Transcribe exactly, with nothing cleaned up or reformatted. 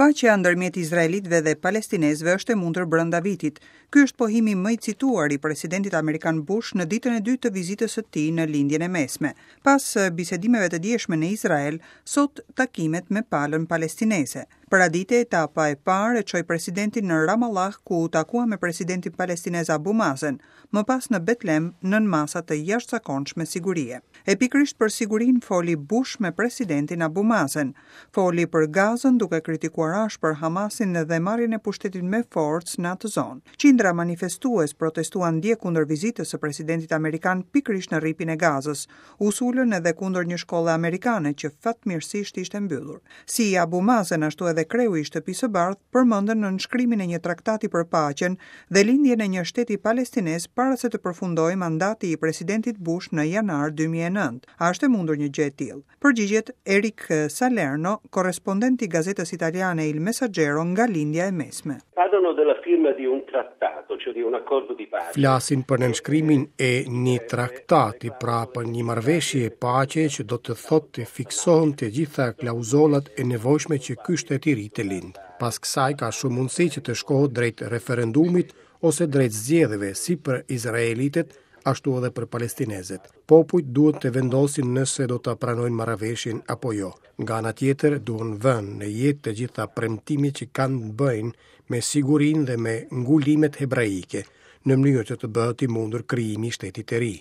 Paqja ndërmjet izraelitëve dhe palestinezëve është e mundur brenda vitit. Ky është pohimi më i cituar i presidentit amerikan Bush në ditën e dytë të vizitës së tij në Lindjen e Mesme. Pas bisedimeve të djeshme në Izrael, sot takimet me palën palestineze. Paradite, etapa e parë e çoi presidentin në Ramallah, ku u takua me presidentin palestinez Abu Mazen, më pas në Betlem nën masa të jashtëzakonshme sigurie. E pikërisht për sigurinë foli Bush me presidentin Abu Mazen. Foli për Gazën, duke kritikuar ashpër Hamasin dhe marrjen e pushtetit me forcë në atë zonë. Qindra manifestues protestuan dje kundër vizitës së presidentit amerikan pikërisht në Rripin e Gazës. U sulën edhe kundër një shkolle amerikane që fatmirësisht ishte mbyllur. Si Abu Mazen, ashtu edhe kreu i Shtëpisë së Bardhë përmendën nënshkrimin e një traktati për paqen dhe lindjen e një shteti palestinez para se të përfundojë mandati i presidentit Bush në janar dy mijë e nëntë. A është e mundur një gjë e tillë? Përgjigjet Erik Salerno, korrespondent i gazetës italiane Il Messaggero nga Lindja e Mesme. Parlano della firma di un trattato, cioè di un accordo di pace. Flasin për nënshkrimin e një traktati, pra për një marrëveshje paqe, që do të thotë të fiksohen të gjitha klauzolat e nevojshme që ky shtet i ri të lind. Pas kësaj ka shumë mundësi që të shkohet drejt referendumit ose drejt zgjedhjeve, si për izraelitët, ashtu edhe për palestinezët. Popujt duhet të vendosin nëse do të pranojnë marrëveshjen apo jo. Nga ana tjetër, duhen vënë në jetë të gjitha premtimet që kanë të bëjnë me sigurinë dhe me ngulimet hebraike, në mënyrë që të bëhet i mundur krijimi i shtetit të ri.